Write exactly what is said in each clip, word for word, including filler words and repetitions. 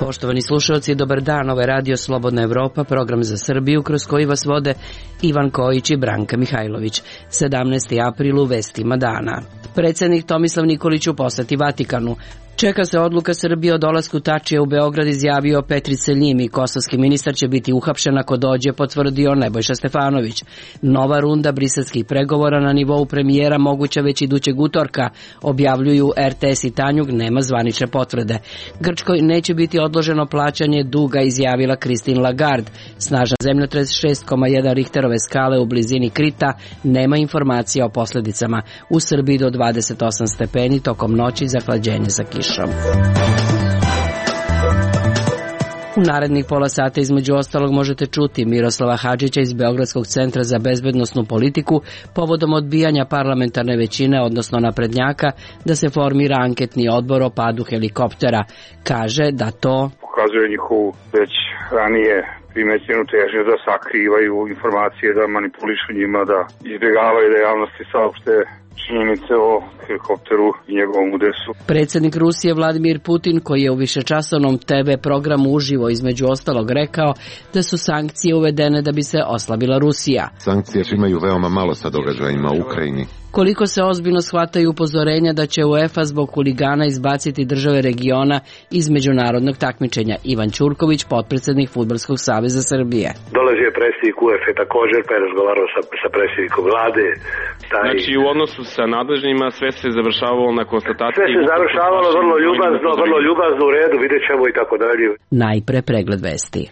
Poštovani slušalci, dobar dan, ovo je Radio Slobodna Evropa, program za Srbiju kroz koji vas vode Ivan Kojić i Branka Mihajlović. sedamnaesti april u vestima dana. Predsednik Tomislav Nikolić u poseti Vatikanu. Čeka se odluka Srbije o dolasku Tačija u Beograd, izjavio Petrice Ljimi. Kosovski ministar će biti uhapšen ako dođe, potvrdio Nebojša Stefanović. Nova runda briselskih pregovora na nivou premijera moguća već idućeg utorka, objavljuju er te es i Tanjug, nema zvanične potvrde. Grčkoj neće biti odloženo plaćanje duga, izjavila Christine Lagarde. Snažan zemljotres šest zarez jedan Richterove skale u blizini Krita, nema informacija o posledicama. U Srbiji do dvadeset osam stepeni, tokom noći zahlađenje sa kišom. U narednih pola sata između ostalog možete čuti Miroslava Hadžića iz Beogradskog centra za bezbednosnu politiku povodom odbijanja parlamentarne većine, odnosno naprednjaka, da se formira anketni odbor o padu helikoptera. Kaže da to pokazuje njihovu već ranije primećenu težnju da sakrivaju informacije, da manipulišu njima, da izbjegavaju da javnosti saopšte činjenice o helikopteru i njegovom udesu. Predsednik Rusije Vladimir Putin, koji je u višečasovnom te ve programu uživo između ostalog rekao da su sankcije uvedene da bi se oslabila Rusija. Sankcije imaju veoma malo sa događajima u Ukrajini. Koliko se ozbiljno shvataju upozorenja da će UEFA zbog huligana izbaciti države regiona iz međunarodnog takmičenja. Ivan Ćurković, potpredsednik Fudbalskog saveza Srbije. Dolazi je predsjednik UEFA također, pa je razgovarao sa, sa predsjednikom vlade. Taj... Znači u odnosu sa nadležnjima sve se završavalo na konstataciji. Sve se završavalo vrlo ljubazno, vrlo ljubazno, u redu, vidjet ćemo i tako dalje. Najpre pregled vesti.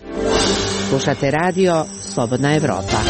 Slušate radio Slobodna Evropa.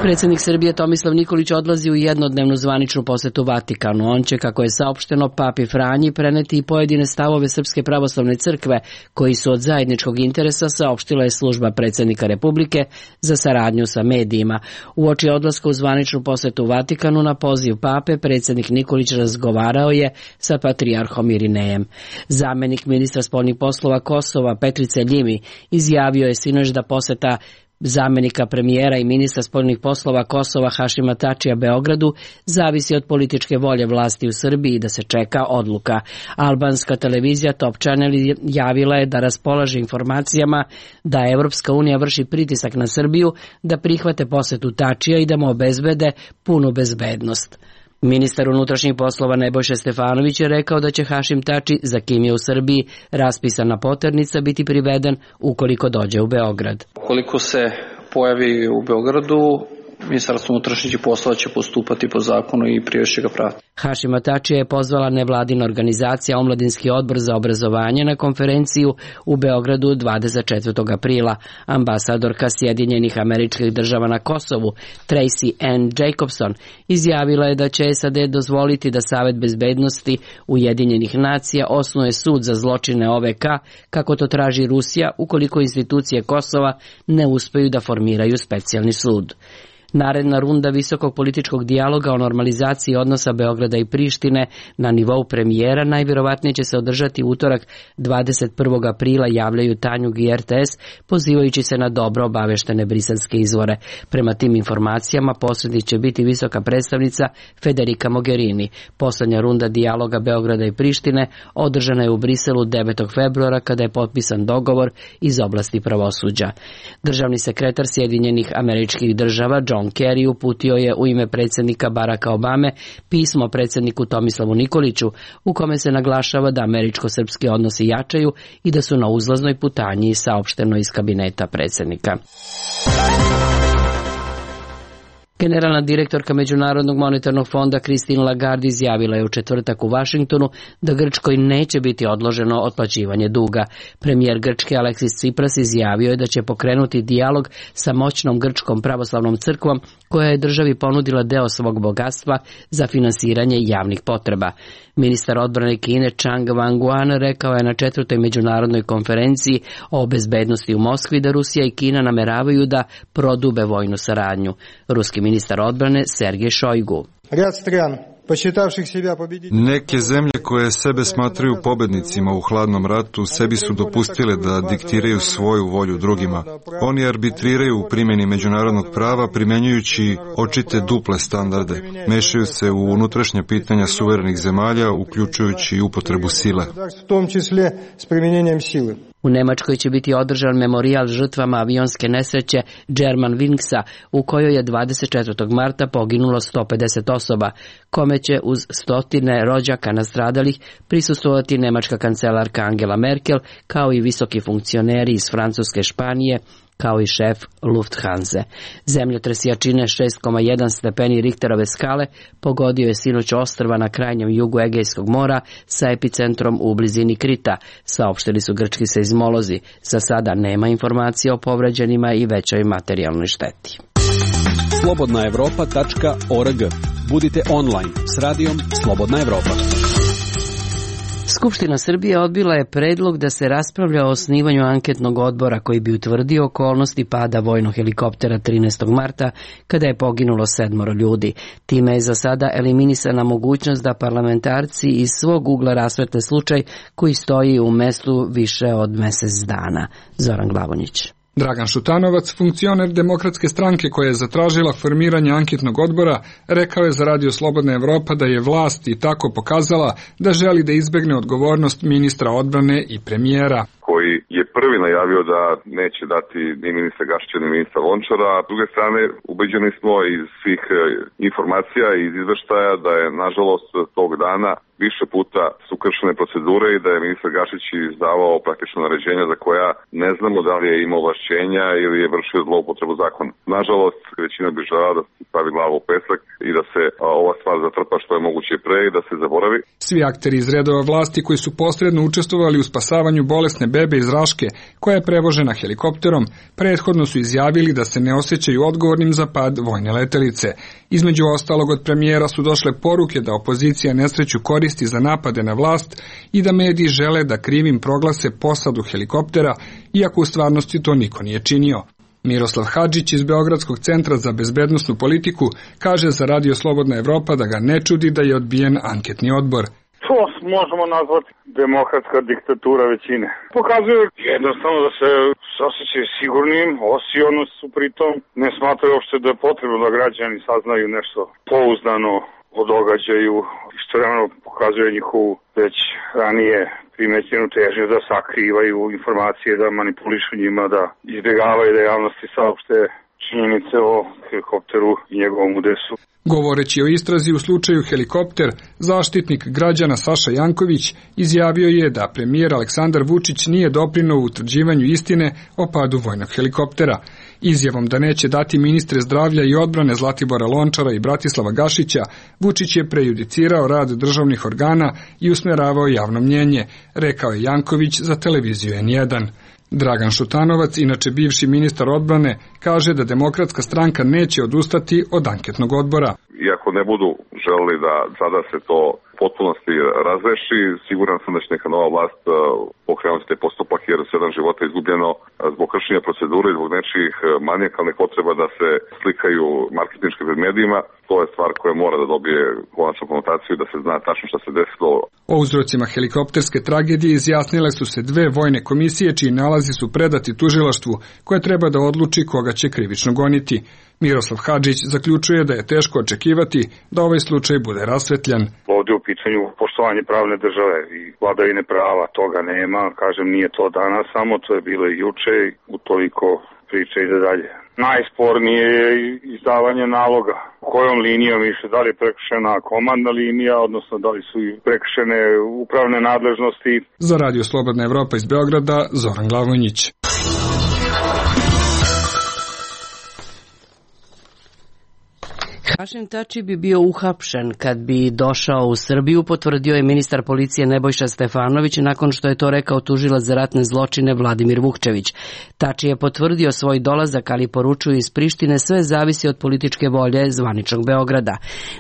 Predsednik Srbije Tomislav Nikolić odlazi u jednodnevnu zvaničnu posetu Vatikanu. On će, kako je saopšteno Papi Franji, preneti i pojedine stavove Srpske pravoslavne crkve, koji su od zajedničkog interesa, saopštila je služba predsednika Republike za saradnju sa medijima. Uoči odlaska u zvaničnu posetu Vatikanu na poziv Pape, predsednik Nikolić razgovarao je sa patrijarhom Irinejem. Zamenik ministra spoljnih poslova Kosova Petrice Ljimi izjavio je sinoć da poseta zamenika premijera i ministra spoljnih poslova Kosova Hašima Tačija Beogradu zavisi od političke volje vlasti u Srbiji i da se čeka odluka. Albanska televizija Top Channel javila je da raspolaže informacijama da Evropska unija vrši pritisak na Srbiju da prihvate posetu Tačija i da mu obezbede punu bezbednost. Ministar unutrašnjih poslova Nebojša Stefanović je rekao da će Hašim Tači, za kim je u Srbiji raspisana poternica, biti priveden ukoliko dođe u Beograd. Ukoliko se pojavi u Beogradu, Ministarstvo unutrašnjih poslova će postupati po zakonu i priješće ga prati. Hašima Tačija je pozvala nevladina organizacija Omladinski odbor za obrazovanje na konferenciju u Beogradu dvadeset četvrtog aprila. Ambasadorka Sjedinjenih Američkih Država na Kosovu, Tracy Ann Jacobson, izjavila je da će es a de dozvoliti da Savet bezbednosti Ujedinjenih nacija osnuje sud za zločine o ve ka, kako to traži Rusija, ukoliko institucije Kosova ne uspeju da formiraju specijalni sud. Naredna runda visokog političkog dijaloga o normalizaciji odnosa Beograda i Prištine na nivou premijera najvjerovatnije će se održati utorak dvadeset prvog aprila, javljaju Tanjug i er te es, pozivajući se na dobro obaveštene briselske izvore. Prema tim informacijama posrednik će biti visoka predstavnica Federica Mogherini. Poslednja runda dijaloga Beograda i Prištine održana je u Briselu devetog februara kada je potpisan dogovor iz oblasti pravosuđa. Državni sekretar Sjedinjenih Američkih Država John Kerry uputio je u ime predsjednika Baracka Obame pismo predsjedniku Tomislavu Nikoliću u kome se naglašava da američko-srpski odnosi jačaju i da su na uzlaznoj putanji, saopšteno iz kabineta predsjednika. Generalna direktorka Međunarodnog monetarnog fonda Christine Lagarde izjavila je u četvrtak u Vašingtonu da Grčkoj neće biti odloženo otplaćivanje duga. Premijer Grčke Aleksis Tsipras izjavio je da će pokrenuti dijalog sa moćnom Grčkom pravoslavnom crkvom koja je državi ponudila deo svog bogatstva za finansiranje javnih potreba. Ministar odbrane Kine Chang Wang-Guan rekao je na četvrtoj međunarodnoj konferenciji o bezbednosti u Moskvi da Rusija i Kina nameravaju da prodube vojnu saradnju. Ruski ministar odbrane Sergej Šojgu. Rad stran Neke zemlje koje sebe smatraju pobednicima u hladnom ratu sebi su dopustile da diktiraju svoju volju drugima. Oni arbitriraju u primjeni međunarodnog prava primenjujući očite duple standarde. Mešaju se u unutrašnja pitanja suverenih zemalja, uključujući i upotrebu sile. U Nemačkoj će biti održan memorijal žrtvama avionske nesreće Germanwingsa, u kojoj je dvadeset četvrtog marta poginulo sto pedeset osoba, kome će uz stotine rođaka nastradalih prisustvovati nemačka kancelarka Angela Merkel, kao i visoki funkcioneri iz Francuske, Španije, kao i šef Lufthanse. Zemljotres jačine šest zarez jedan stepeni Richterove skale pogodio je sinoć ostrva na krajnjem jugu Egejskog mora sa epicentrom u blizini Krita, saopštili su grčki seizmolozi. Za sada nema informacija o povređenima i većoj materijalnoj šteti. slobodna evropa tačka org. Budite online s radijom Slobodna Evropa. Skupština Srbije odbila je predlog da se raspravlja o osnivanju anketnog odbora koji bi utvrdio okolnosti pada vojnog helikoptera trinaestog marta kada je poginulo sedmoro ljudi. Time je za sada eliminisana mogućnost da parlamentarci iz svog ugla rasvetle slučaj koji stoji u mestu više od mesec dana. Zoran Glavonjić. Dragan Šutanovac, funkcioner Demokratske stranke koja je zatražila formiranje anketnog odbora, rekao je za Radio Slobodna Evropa da je vlast i tako pokazala da želi da izbegne odgovornost ministra odbrane i premijera. Koji je prvi najavio da neće dati ni ministra Gašića ni ministra Lončara, a s druge strane ubeđeni smo iz svih informacija i iz izveštaja da je nažalost tog dana više puta su kršene procedure i da je ministar Gašić izdavao praktično naređenja za koja ne znamo da li je imao ovlašćenja ili je vršio zloupotrebu zakona. Nažalost, većina bi žela da se stavi glavu u pesak i da se ova stvar zatrpa što je moguće pre i da se zaboravi. Svi akteri iz redova vlasti koji su posredno učestvovali u spasavanju bolesne bebe iz Raške, koja je prevožena helikopterom, prethodno su izjavili da se ne osjećaju odgovornim za pad vojne letelice. Između ostalog od premijera su došle poruke da opozicija nesreću koristi za napade na vlast i da mediji žele da krivim proglase posadu helikoptera, iako u stvarnosti to niko nije činio. Miroslav Hadžić iz Beogradskog centra za bezbednosnu politiku kaže za Radio Slobodna Evropa da ga ne čudi da je odbijen anketni odbor. To možemo nazvati demokratska diktatura većine. Pokazuje jednostavno da se osjećaju sigurnim, osiono su pritom, ne smatraju uopšte da je potrebno da građani saznaju nešto pouzdano o događaju. Istovremeno pokazuje njihovu već ranije primećenu težnju da sakrivaju informacije, da manipulišu njima, da izbjegavaju da javnosti saopšte činjenice o helikopteru i njegovom udesu. Govoreći o istrazi u slučaju helikopter, zaštitnik građana Saša Janković izjavio je da premijer Aleksandar Vučić nije doprineo u utvrđivanju istine o padu vojnog helikoptera. Izjavom da neće dati ministre zdravlja i odbrane Zlatibora Lončara i Bratislava Gašića, Vučić je prejudicirao rad državnih organa i usmeravao javno mnjenje, rekao je Janković za televiziju en jedan. Dragan Šutanovac, inače bivši ministar odbrane, kaže da Demokratska stranka neće odustati od anketnog odbora. Iako ne budu želeli da sada se to potpunosti razreši, siguran sam da će neka nova vlast pokrenuti taj postupak jer sedam života izgubljeno zbog kršenja procedure i zbog nečijih manijakalnih potreba da se slikaju marketinški pred medijima. To je stvar koja mora da dobije konačnu konotaciju da se zna tačno šta se desilo. O uzrocima helikopterske tragedije izjasnile su se dve vojne komisije čiji nalazi su predati tužilaštvu koje treba da odluči koga će krivično goniti. Miroslav Hadžić zaključuje da je teško očekivati da ovaj slučaj bude rasvetljan. Ovdje u pitanju poštovanje pravne države i vladavine prava, toga nema, kažem nije to danas, samo to je bilo i juče i utoliko priča ide dalje. Najspornije je izdavanje naloga. Kojom linijom više, da li je prekršena komandna linija, odnosno da li su prekršene upravne nadležnosti. Za Radio Slobodna Evropa iz Beograda, Zoran Glavonjić. Hašim Tači bi bio uhapšen kad bi došao u Srbiju, potvrdio je ministar policije Nebojša Stefanović nakon što je to rekao tužilac za ratne zločine Vladimir Vukčević. Tači je potvrdio svoj dolazak, ali poručuju iz Prištine sve zavisi od političke volje zvaničnog Beograda.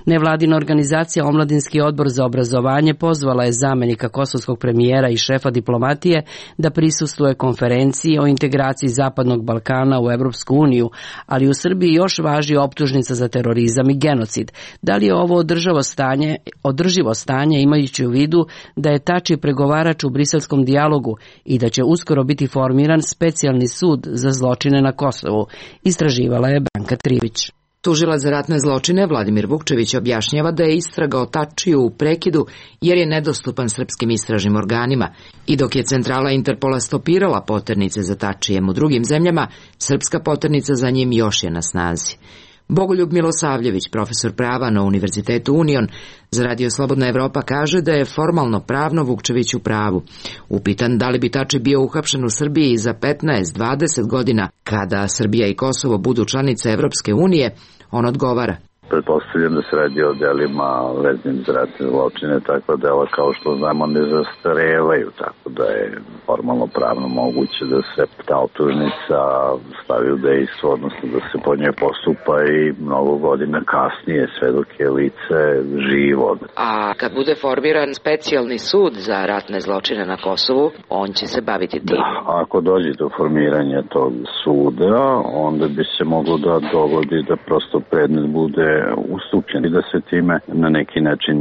Nevladina organizacija Omladinski odbor za obrazovanje pozvala je zamenika kosovskog premijera i šefa diplomatije da prisustvuje konferenciji o integraciji Zapadnog Balkana u Evropsku uniju, ali u Srbiji još važi optužnica za terorizam i genocid. Da li je ovo održivo stanje, održivo stanje imajući u vidu da je Tači pregovarač u briselskom dijalogu i da će uskoro biti formiran specijalni sud za zločine na Kosovu, istraživala je Branka Trivić. Tužilac za ratne zločine Vladimir Vukčević objašnjava da je istraga o Tačiju u prekidu jer je nedostupan srpskim istražnim organima i dok je centrala Interpola stopirala poternice za Tačijem u drugim zemljama, srpska poternica za njim još je na snazi. Bogoljub Milosavljević, profesor prava na Univerzitetu Union, za Radio Slobodna Evropa kaže da je formalno pravno Vukčević u pravu. Upitan da li bi Tači bio uhapšen u Srbiji za petnaest do dvadeset godina kada Srbija i Kosovo budu članice Evropske unije, on odgovara. Pretpostavljam da se radi o delima veznim za ratne zločine, takva dela kao što znamo ne zastarevaju, tako da je formalno pravno moguće da se ta optužnica stavi u dejstvo, odnosno da se po njoj postupa i mnogo godina kasnije, sve dok je lice živo. A kad bude formiran specijalni sud za ratne zločine na Kosovu, on će se baviti tim? Da, ako dođe do formiranja tog suda, onda bi se moglo da dogodi da prosto predmet bude ustupljen i da se time na neki način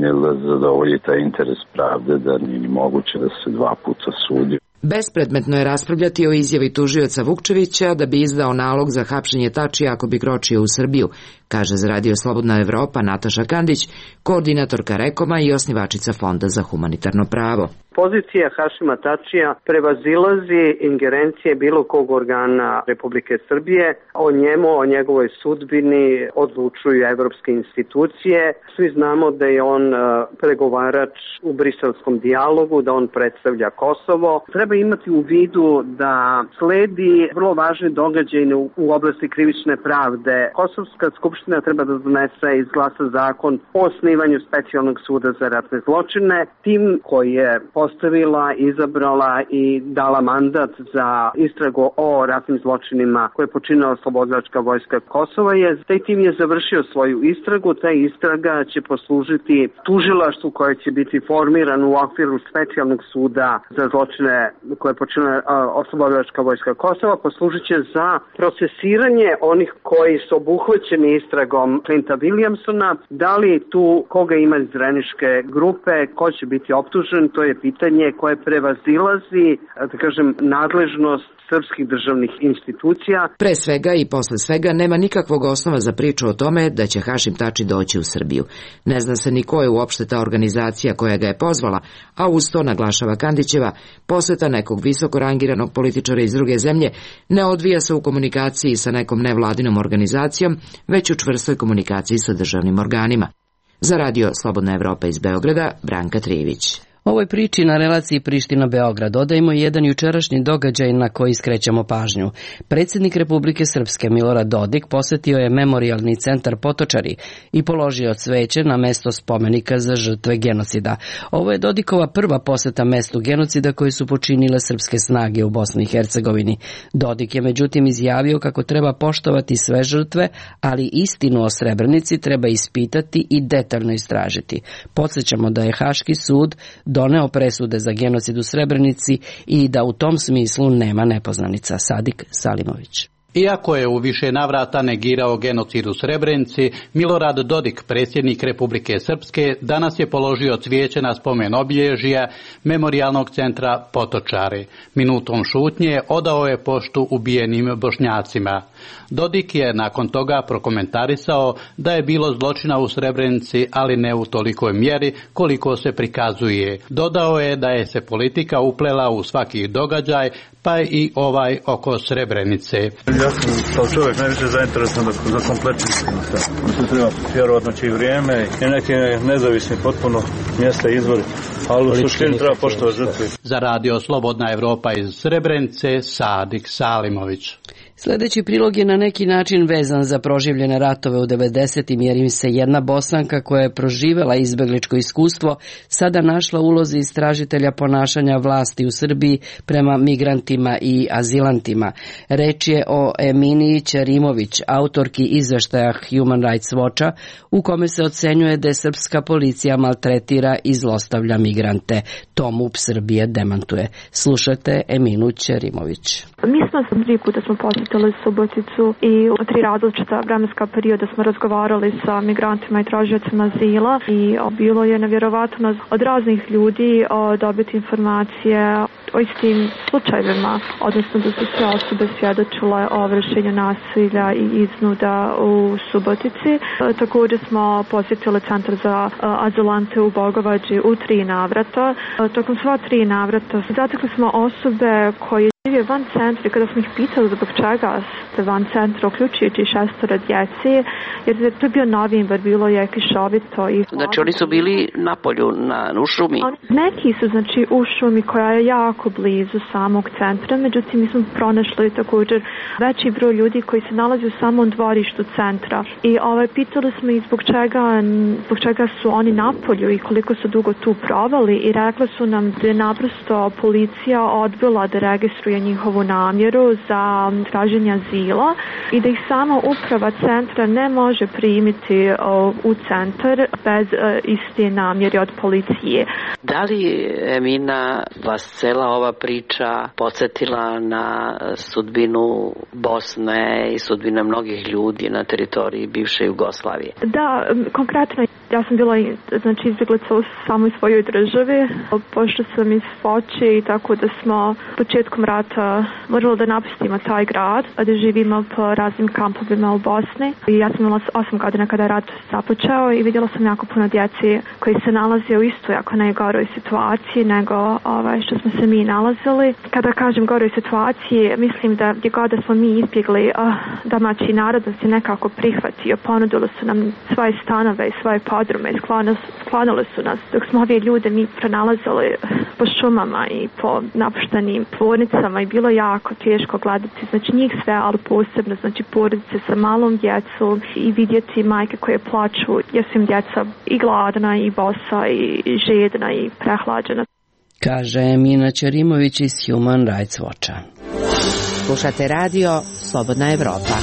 zadovolji taj interes pravde da nije moguće da se dva puta sudi. Bespredmetno je raspravljati o izjavi tužioca Vukčevića da bi izdao nalog za hapšenje Tačija ako bi kročio u Srbiju, kaže za Radio Slobodna Evropa Nataša Kandić, koordinatorka Rekoma i osnivačica Fonda za humanitarno pravo. Pozicija Hašima Tačija prevazilazi ingerencije bilo kog organa Republike Srbije. O njemu, o njegovoj sudbini odlučuju evropske institucije. Svi znamo da je on pregovarač u briselskom dijalogu, da on predstavlja Kosovo. Treba imati u vidu da sledi vrlo važni događaj u oblasti krivične pravde. Kosovska skupština treba da donese i izglasa zakon o osnivanju specijalnog suda za ratne zločine. Tim koji je postavila, izabrala i dala mandat za istragu o ratnim zločinima koje je počinila Oslobodilačka vojska Kosova je, taj tim je završio svoju istragu, ta istraga će poslužiti tužilaštvu koje će biti formiran u okviru specijalnog suda za zločine koje je počinila Oslobodilačka vojska Kosova, poslužit će za procesiranje onih koji su obuhvaćeni istragom Clinta Williamsona, da li tu koga ima iz Dreniške grupe, ko će biti optužen, to je pitanje koje prevazilazi, da kažem, nadležnost srpskih državnih institucija. Pre svega i posle svega nema nikakvog osnova za priču o tome da će Hašim Tači doći u Srbiju. Ne zna se ni ko je uopšte ta organizacija koja ga je pozvala, a uz to, naglašava Kandićeva, poseta nekog visoko rangiranog političara iz druge zemlje ne odvija se u komunikaciji sa nekom nevladinom organizacijom, već u čvrstoj komunikaciji sa državnim organima. Za Radio Slobodna Evropa iz Beograda, Branka Trivić. Ovoj priči na relaciji Priština-Beograd dodajemo jedan jučerašnji događaj na koji skrećemo pažnju. Predsjednik Republike Srpske Milorad Dodik posetio je memorijalni centar Potočari i položio cveće na mesto spomenika za žrtve genocida. Ovo je Dodikova prva poseta mestu genocida koje su počinile srpske snage u Bosni i Hercegovini. Dodik je međutim izjavio kako treba poštovati sve žrtve, ali istinu o Srebrenici treba ispitati i detaljno istražiti. Podsjećamo da je Haški sud doneo presude za genocid u Srebrenici i da u tom smislu nema nepoznanica. Sadik Salimović. Iako je u više navrata negirao genocid u Srebrenici, Milorad Dodik, predsjednik Republike Srpske, danas je položio cvijeće na spomen obilježja memorijalnog centra Potočari. Minutom šutnje odao je poštu ubijenim Bošnjacima. Dodik je nakon toga prokomentarisao da je bilo zločina u Srebrenici, ali ne u tolikoj mjeri koliko se prikazuje. Dodao je da je se politika uplela u svaki događaj, pa i ovaj oko Srebrenice. Ja sam kao čovjek najviše zainteresovan za kompletnu istinu. Tu treba vjerovatno će i vrijeme i neki nezavisni potpuno mjesta izvori, ali u suštini treba poštovati žrtve. Za Radio Slobodna Evropa iz Srebrenice, Sadik Salimović. Sljedeći prilog je na neki način vezan za proživljene ratove u devedesetim jer im se jedna Bosanka koja je proživela izbegličko iskustvo sada našla u ulozi istražitelja ponašanja vlasti u Srbiji prema migrantima i azilantima. Reč je o Eminiji Ćerimović, autorki izveštaja Human Rights Watcha, u kome se ocenjuje da je srpska policija maltretira i zlostavlja migrante. To M U P Srbije demantuje. Slušajte Eminu Ćerimović. Mi smo tri puta smo posjetili Suboticu i u tri različita vremenska perioda smo razgovarali sa migrantima i tražiocima azila i bilo je nevjerovatno od raznih ljudi dobiti informacije o istim slučajevima, odnosno da su sve osobe svjedočile o vršenju nasilja i iznuda u Subotici. Također smo posjetili centar za azilante u Bogovađi u tri navrata. Tokom sva tri navrata zatekli smo osobe koje žive van centra. Kada smo ih pitali zbog čega ste van centra, uključujući šestora djeci, jer to je bio novembar, bilo je kišovito. I znači oni su bili na polju, na, u šumi? Neki su znači u šumi koja je jako blizu samog centra, međutim mi smo pronašli također veći broj ljudi koji se nalazi u samom dvorištu centra. I ovaj, pitali smo ih zbog čega, zbog čega su oni na polju i koliko su dugo tu provali i rekli su nam da je naprosto policija odbila da registruje njihovu namjeru za traženje azila i da ih sama uprava centra ne može primiti o, u centar bez o, iste namjere od policije. Da li, Emina, vas cela ova priča podsjetila na sudbinu Bosne i sudbina mnogih ljudi na teritoriji bivše Jugoslavije? Da, konkretno ja sam bila znači, izbjeglica u samoj svojoj državi, pošto sam iz Foče i tako da smo početkom rata morali da napustimo taj grad, da živimo po raznim kampovima u Bosni. I ja sam imala osam godina kada je rat započeo i vidjela sam jako puno djeci koji se nalaze u istoj, ako ne goroj situaciji nego ovaj, što smo se mi nalazili. Kada kažem goroj situaciji, mislim da gdje god da smo mi izbjegli, uh, domaći narod nas je nekako prihvatio, ponudili su nam svoje stanove i svoje podrume, sklonili su nas, dok smo ove ljude mi pronalazili po šumama i po napuštenim tvornicama i bilo jako teško gledati, znači njih sve, ali posebno znači porodice sa malom djecom i vidjeti majke koje plaču jer su im djeca i gladna i bosa i žedna i prehlađena. Kaže Emina Ćerimović iz Human Rights Watcha. Slušate radio Slobodna Evropa.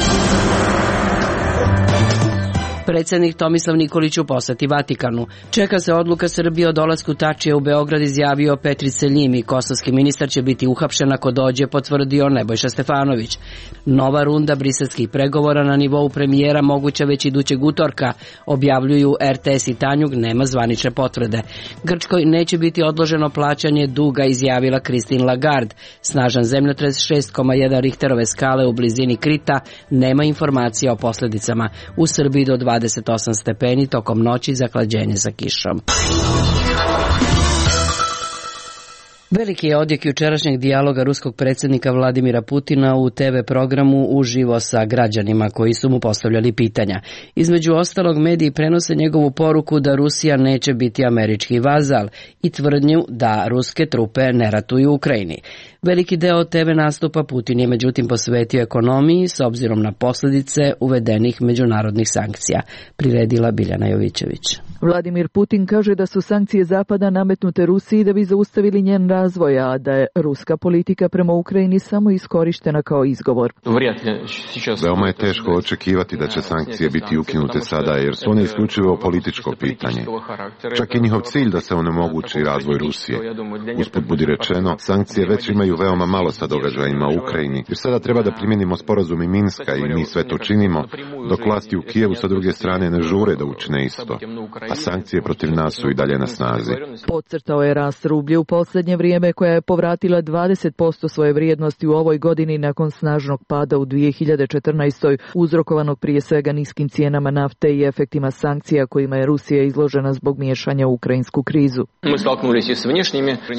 Predsjednik Tomislav Nikolić u posjeti Vatikanu. Čeka se odluka Srbije o dolasku Tačije u Beograd, izjavio Petri Seljimi. Kosovski ministar će biti uhapšen ako dođe, potvrdio Nebojša Stefanović. Nova runda briselskih pregovora na nivou premijera moguća već idućeg utorka, objavljuju er te es i Tanjug, nema zvanične potvrde. Grčkoj neće biti odloženo plaćanje duga, izjavila Christine Lagarde. Snažan zemljotres šest zarez jedan Richterove skale u blizini Krita, nema informacija o posljedicama. U Srbiji do dvadeset osam stepeni, tokom noći zahlađenje sa kišom. Veliki je odjek jučerašnjeg dijaloga ruskog predsjednika Vladimira Putina u te ve programu uživo sa građanima koji su mu postavljali pitanja. Između ostalog, mediji prenose njegovu poruku da Rusija neće biti američki vazal i tvrdnju da ruske trupe ne ratuju u Ukrajini. Veliki deo te ve nastupa Putin je međutim posvetio ekonomiji s obzirom na posljedice uvedenih međunarodnih sankcija, priredila Biljana Jovićević. Vladimir Putin kaže da su sankcije Zapada nametnute Rusiji da bi zaustavili njen razvoj, a da je ruska politika prema Ukrajini samo iskorištena kao izgovor. Veoma je teško očekivati da će sankcije biti ukinute sada, jer su one isključivo političko pitanje. Čak i njihov cilj da se onemogući razvoj Rusije. Usput budi rečeno, sankcije već imaju veoma malo sa događajima u Ukrajini, jer sada treba da primjenimo sporazum i Minska i mi sve to činimo, dok vlasti u Kijevu sa druge strane ne žure da učine isto, a sankcije protiv nas su i dalje na snazi. Podcrtao je rast rublje u posljednje vrijeme, koja je povratila dvadeset posto svoje vrijednosti u ovoj godini nakon snažnog pada u dvije hiljade četrnaestoj, uzrokovanog prije svega niskim cijenama nafte i efektima sankcija kojima je Rusija izložena zbog miješanja u ukrajinsku krizu.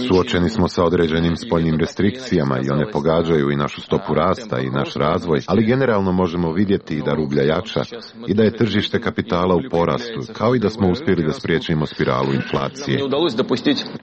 Suočeni smo sa određenim spoljnim restrikcijama i one pogađaju i našu stopu rasta i naš razvoj, ali generalno možemo vidjeti da rublja jača i da je tržište kapitala u porastu, kao i da smo uspjeli da spriječimo spiralu inflacije.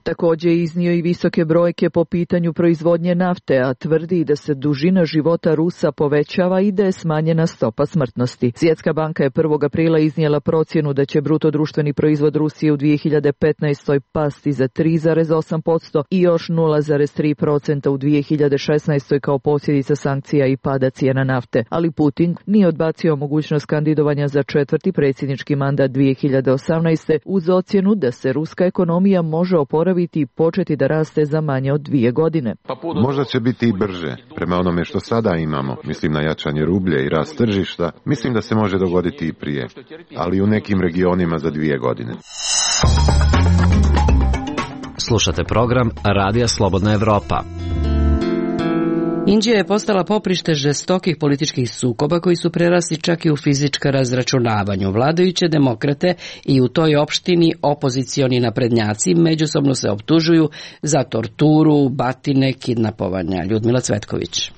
Također je iznio i visoke brojke po pitanju proizvodnje nafte, a tvrdi da se dužina života Rusa povećava i da je smanjena stopa smrtnosti. Svjetska banka je prvog aprila iznijela procjenu da će bruto društveni proizvod Rusije u dvije hiljade petnaestoj pasti za tri zarez osam posto i još nula zarez tri posto procenta u dvije hiljade šesnaestoj kao posljedica sankcija i pada cijena nafte, ali Putin nije odbacio mogućnost kandidovanja za četvrti predsjednički mandat dvije hiljade osamnaeste uz ocjenu da se ruska ekonomija može oporaviti i početi da raste za manje od dvije godine. Možda će biti i brže. Prema onome što sada imamo, mislim na jačanje rublje i rast tržišta, mislim da se može dogoditi i prije, ali u nekim regionima za dvije godine. Slušate program Radija Slobodna Evropa. Indija je postala poprište žestokih političkih sukoba koji su prerasli čak i u fizička razračunavanju. Vladajuće demokrate i u toj opštini opozicioni naprednjaci međusobno se optužuju za torturu, batine, kidnapovanja. Ljudmila Cvetković.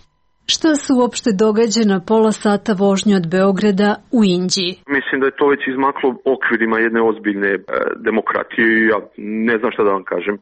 Šta se uopšte događa na pola sata vožnje od Beograda u Indiji? Mislim da je to već izmaklo okvirima jedne ozbiljne e, demokratije. Ja ne znam šta da vam kažem.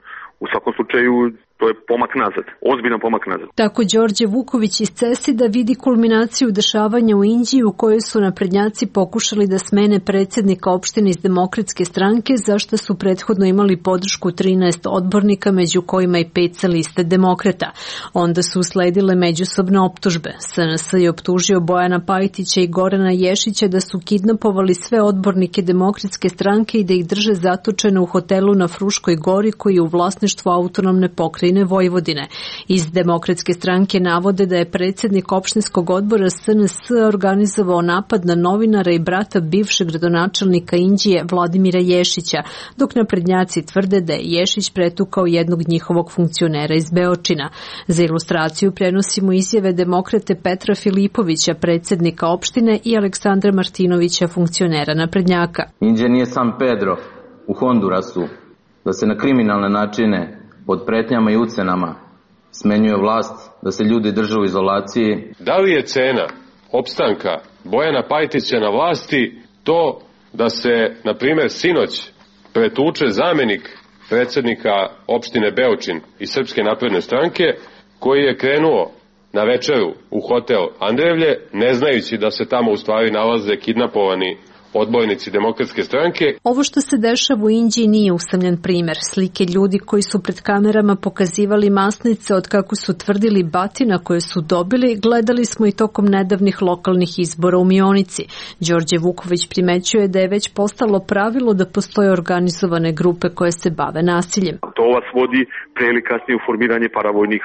U svakom slučaju to je pomak nazad, ozbiljan pomak nazad. Tako Đorđe Vuković iz CESID-a vidi kulminaciju dešavanja u Indiji u kojoj su naprednjaci pokušali da smene predsjednika opštine iz Demokratske stranke, zašto su prethodno imali podršku trinaest odbornika, među kojima i pet sa liste demokrata. Onda su usledile međusobne optužbe. S N S je optužio Bojana Pajtića i Gorana Ješića da su kidnapovali sve odbornike Demokratske stranke i da ih drže zatočene u hotelu na Fruškoj gori koji je u vlasništvu autonomne pokrajine Vojvodine. Iz Demokratske stranke navode da je predsjednik opštinskog odbora S N S organizovao napad na novinara i brata bivšeg gradonačelnika Indije Vladimira Ješića, dok naprednjaci tvrde da je Ješić pretukao jednog njihovog funkcionera iz Beočina. Za ilustraciju prenosimo izjave demokrate Petra Filipovića, predsjednika opštine, i Aleksandra Martinovića, funkcionera naprednjaka. Indija nije sam Pedro u Hondurasu, da se na kriminalne načine pod pretnjama i ucenama smenjuje vlast, da se ljudi drže u izolaciji. Da li je cena opstanka Bojana Pajtića na vlasti to da se, na primjer, sinoć pretuče zamenik predsjednika opštine Beočin iz Srpske napredne stranke, koji je krenuo na večeru u hotel Andrevlje, ne znajući da se tamo u stvari nalaze kidnapovani odbojnici Demokratske stranke. Ovo što se dešava u Indiji nije usamljen primjer. Slike ljudi koji su pred kamerama pokazivali masnice od kako su tvrdili batina koje su dobili, gledali smo i tokom nedavnih lokalnih izbora u Mionici. Đorđe Vuković primećuje da je već postalo pravilo da postoje organizovane grupe koje se bave nasiljem. To vas vodi pre ili kasnije u formiranje paravojnih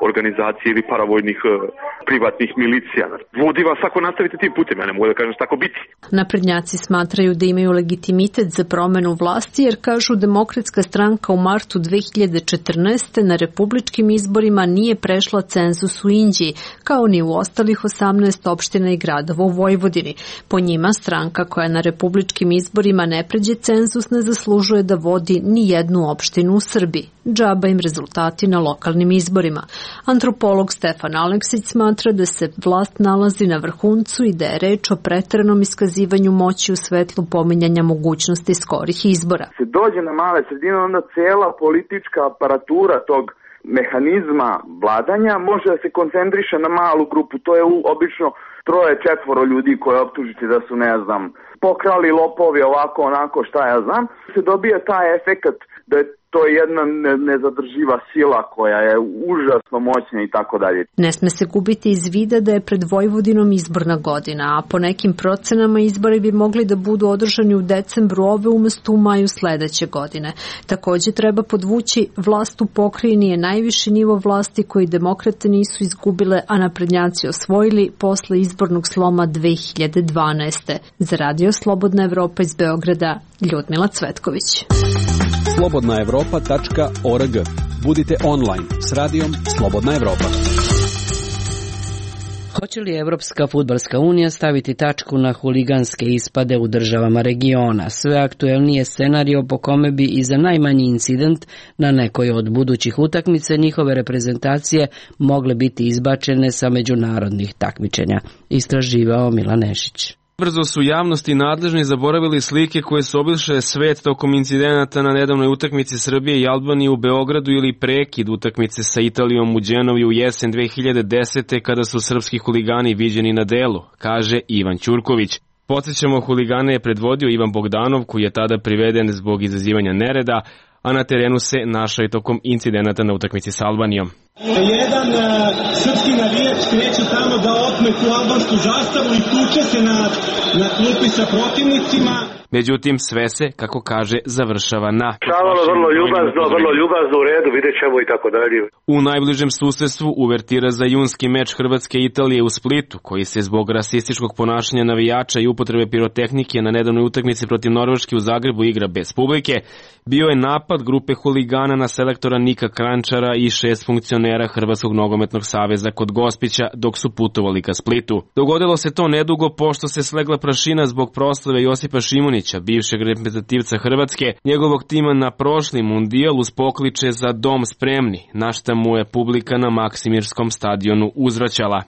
organizacija ili paravojnih uh, privatnih milicija. Vodi vas ako nastavite tim putem, ja ne mogu da kažem šta tako biti. Naprednjaci smatraju da imaju legitimitet za promenu vlasti jer kažu Demokratska stranka u martu dve hiljade četrnaeste. na republičkim izborima nije prešla cenzus u Indiji, kao ni u ostalih osamnaest opština i gradova u Vojvodini. Po njima stranka koja na republičkim izborima ne pređe cenzus ne zaslužuje da vodi ni jednu opštinu u Srbiji. Džaba im rezultati na lokalnim izborima. Antropolog Stefan Aleksić smatra da se vlast nalazi na vrhuncu i da je reč o preteranom iskazivanju moći u svetlu pominjanja mogućnosti skorih izbora. Se dođe na male sredine, onda cela politička aparatura tog mehanizma vladanja može da se koncentriše na malu grupu. To je obično troje, četvoro ljudi koje optužite da su, ne znam, pokrali, lopovi, ovako, onako, šta ja znam. Se dobija taj efekat da je to je jedna nezadrživa sila koja je užasno moćna i tako dalje. Ne sme se gubiti iz vida da je pred Vojvodinom izborna godina, a po nekim procenama izbori bi mogli da budu održani u decembru ove umesto u maju sledeće godine. Takođe treba podvući, vlast u pokrajini je najviši nivo vlasti koji demokrate nisu izgubile, a naprednjaci osvojili posle izbornog sloma dve hiljade dvanaeste. Za Radio Slobodna Evropa iz Beograda, Ljudmila Cvetković. slobodna evropa tačka org. Budite online s radijom Slobodna Evropa. Hoće li Evropska fudbalska unija staviti tačku na huliganske ispade u državama regiona? Sve aktuelnije scenario po kome bi i za najmanji incident na nekoj od budućih utakmica njihove reprezentacije mogle biti izbačene sa međunarodnih takmičenja, istraživao Milan Nešić. Brzo su javnosti nadležni zaboravili slike koje su obišle svet tokom incidenata na nedavnoj utakmici Srbije i Albanije u Beogradu ili prekid utakmice sa Italijom u Đenovi u jesen dve hiljade desete. kada su srpski huligani viđeni na delu, kaže Ivan Ćurković. Podsjećamo, huligane je predvodio Ivan Bogdanov, koji je tada priveden zbog izazivanja nereda, a na terenu se našao i tokom incidenata na utakmici sa Albanijom. Jedan uh, srpski navijač kreće tamo da otme tu albansku zastavu i tuče se na, na klupi sa protivnicima. Međutim, sve se, kako kaže, završava na... Šavalo vrlo ljubazno, vrlo ljubazno, u redu, vidjet ćemo i tako dalje. U najbližem susedstvu uvertira za junski meč Hrvatske i Italije u Splitu, koji se zbog rasističkog ponašanja navijača i upotrebe pirotehnike na nedavnoj utakmici protiv Norveške u Zagrebu igra bez publike, bio je napad grupe huligana na selektora Nika Krančara i šest funkcionera Hrvatskog nogometnog saveza kod Gospića dok su putovali ka Splitu. Dogodilo se to nedugo pošto se slegla prašina zbog proslave Josipa Šimunića, bivšeg reprezentativca Hrvatske, njegovog tima na prošli mundijal uz pokliče za dom spremni, na šta mu je publika na Maksimirskom stadionu uzvraćala.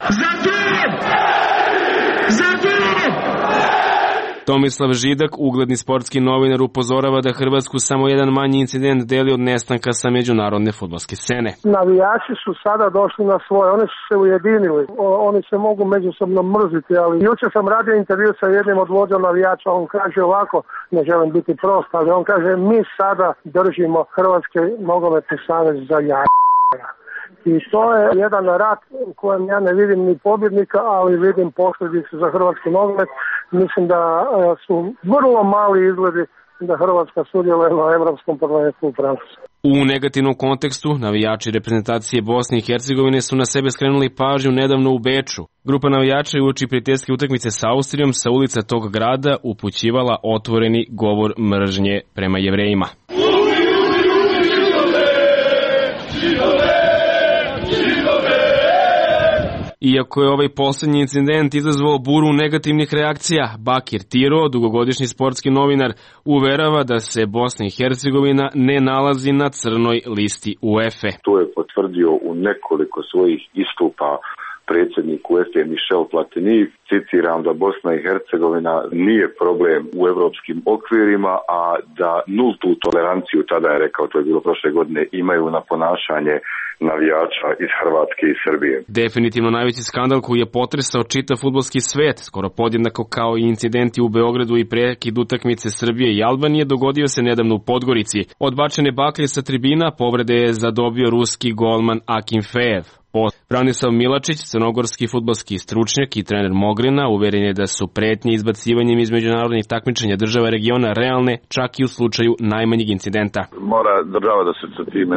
Tomislav Židak, ugledni sportski novinar, upozorava da Hrvatsku samo jedan manji incident deli od nestanka sa međunarodne fudbalske scene. Navijači su sada došli na svoje, oni su se ujedinili, o, oni se mogu međusobno mrziti, ali jučer sam radio intervju sa jednim od vođa navijača, on kaže ovako, ne želim biti prost, ali on kaže mi sada držimo Hrvatski nogometni savez za jaja. I to je jedan rat u kojem ja ne vidim ni pobjednika, ali vidim posljedice za hrvatski nogomet. Mislim da su vrlo mali izgledi da Hrvatska sudjeluje na evropskom prvenstvu u Francusku. U negativnom kontekstu, navijači reprezentacije Bosne i Hercegovine su na sebe skrenuli pažnju nedavno u Beču. Grupa navijača je uoči prijateljske utakmice sa Austrijom sa ulica tog grada upućivala otvoreni govor mržnje prema Jevrejima. Iako je ovaj poslednji incident izazvao buru negativnih reakcija, Bakir Tiro, dugogodišnji sportski novinar, uverava da se Bosna i Hercegovina ne nalazi na crnoj listi UEFA. To je potvrdio u nekoliko svojih istupa predsjednik UEFA Michel Platini. Citiram da Bosna i Hercegovina nije problem u evropskim okvirima, a da nultu toleranciju, tada je rekao, to je bilo prošle godine, imaju na ponašanje navijača iz Hrvatske i Srbije. Definitivno najveći skandal koji je potresao čitav fudbalski svet, skoro podjednako kao i incidenti u Beogradu i prekid utakmice Srbije i Albanije, dogodio se nedavno u Podgorici. Odbačene baklje sa tribina povrede je zadobio ruski golman Akim Fejev. Branislav Milačić, crnogorski fudbalski stručnjak i trener Mogrina, uveren je da su pretnje izbacivanjem iz međunarodnih takmičenja država regiona realne, čak i u slučaju najmanjeg incidenta. Mora država da se sa time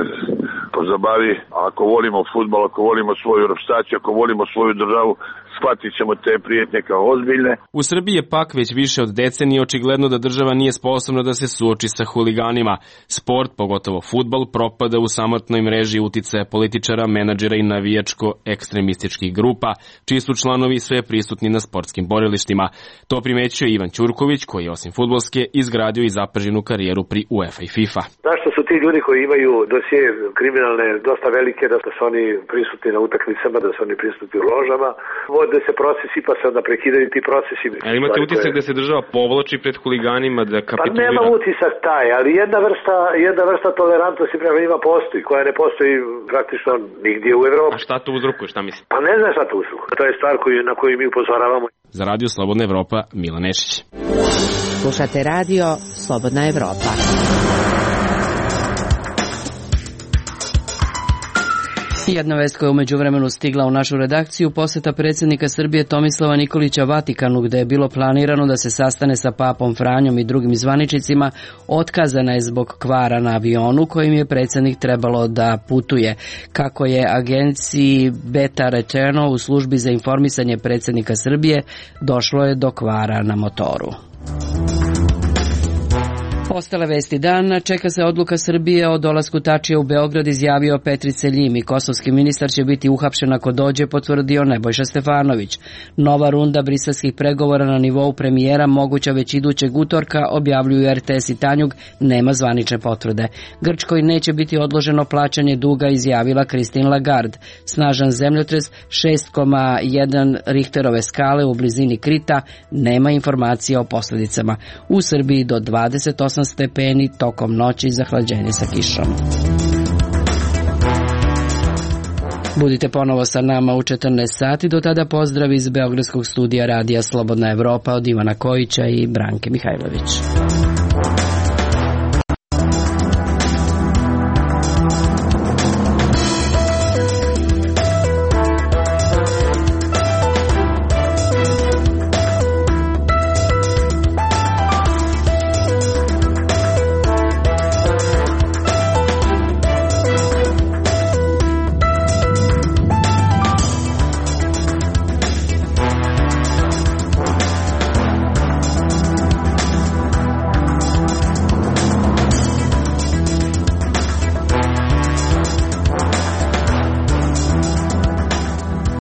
pozabavi. Ako volimo fudbal, ako volimo svoju reprezentaciju, ako volimo svoju državu, shvatit ćemo te prijetnje kao ozbiljne. U Srbiji je pak već više od decenije očigledno da država nije sposobna da se suoči sa huliganima. Sport, pogotovo fudbal, propada u samotnoj mreži uticaja političara, menadžera i navijačko-ekstremističkih grupa, čiji su članovi sve prisutni na sportskim borilištima. To primećuje Ivan Ćurković, koji je osim fudbalske izgradio i zapaženu karijeru pri UEFA i FIFA. Zašto su ti ljudi koji imaju dosije kriminalne dosta velike, da su oni prisutni na utakmicama, da su oni prisutni u ložama, vode se procesi pa se onda prekidaju ti procesi. Ali imate utisak da se država povlači pred huliganima, da kapitulira? Pa nema utisak taj, ali jedna vrsta, jedna vrsta tolerantnosti prema njima postoji, koja ne postoji praktično nigdje u Evropi. A šta to uzrokuje, šta misli? Pa ne znam šta to uzrokuje. To je stvar koju, na koju mi upozoravamo. Za Radio Slobodna Evropa, Milan Nešić. Slušate Radio Slobodna Evropa. Jedna vest koja je umeđu vremenu stigla u našu redakciju, poseta predsjednika Srbije Tomislava Nikolića Vatikanu, gde je bilo planirano da se sastane sa papom Franjom i drugim zvaničnicima, otkazana je zbog kvara na avionu kojim je predsjednik trebalo da putuje. Kako je agenciji Beta rečeno u službi za informisanje predsjednika Srbije, došlo je do kvara na motoru. Ostale vesti dana, čeka se odluka Srbije o dolasku Tačija u Beograd, izjavio Petri Celjimi. Kosovski ministar će biti uhapšen ako dođe, potvrdio Nebojša Stefanović. Nova runda briselskih pregovora na nivou premijera moguća već idućeg utorka, objavljuju er te es i Tanjug, nema zvanične potvrde. Grčkoj neće biti odloženo plaćanje duga, izjavila Christine Lagarde. Snažan zemljotres šest zarez jedan Richterove skale u blizini Krita, nema informacija o posljedicama. U Srbiji do dvadeset osam stepeni, tokom noći zahlađenje sa kišom. Budite ponovo sa nama u četrnaest sati, do tada pozdrav iz Beogradskog studija Radija Slobodna Evropa od Ivana Kojića i Branke Mihajlović.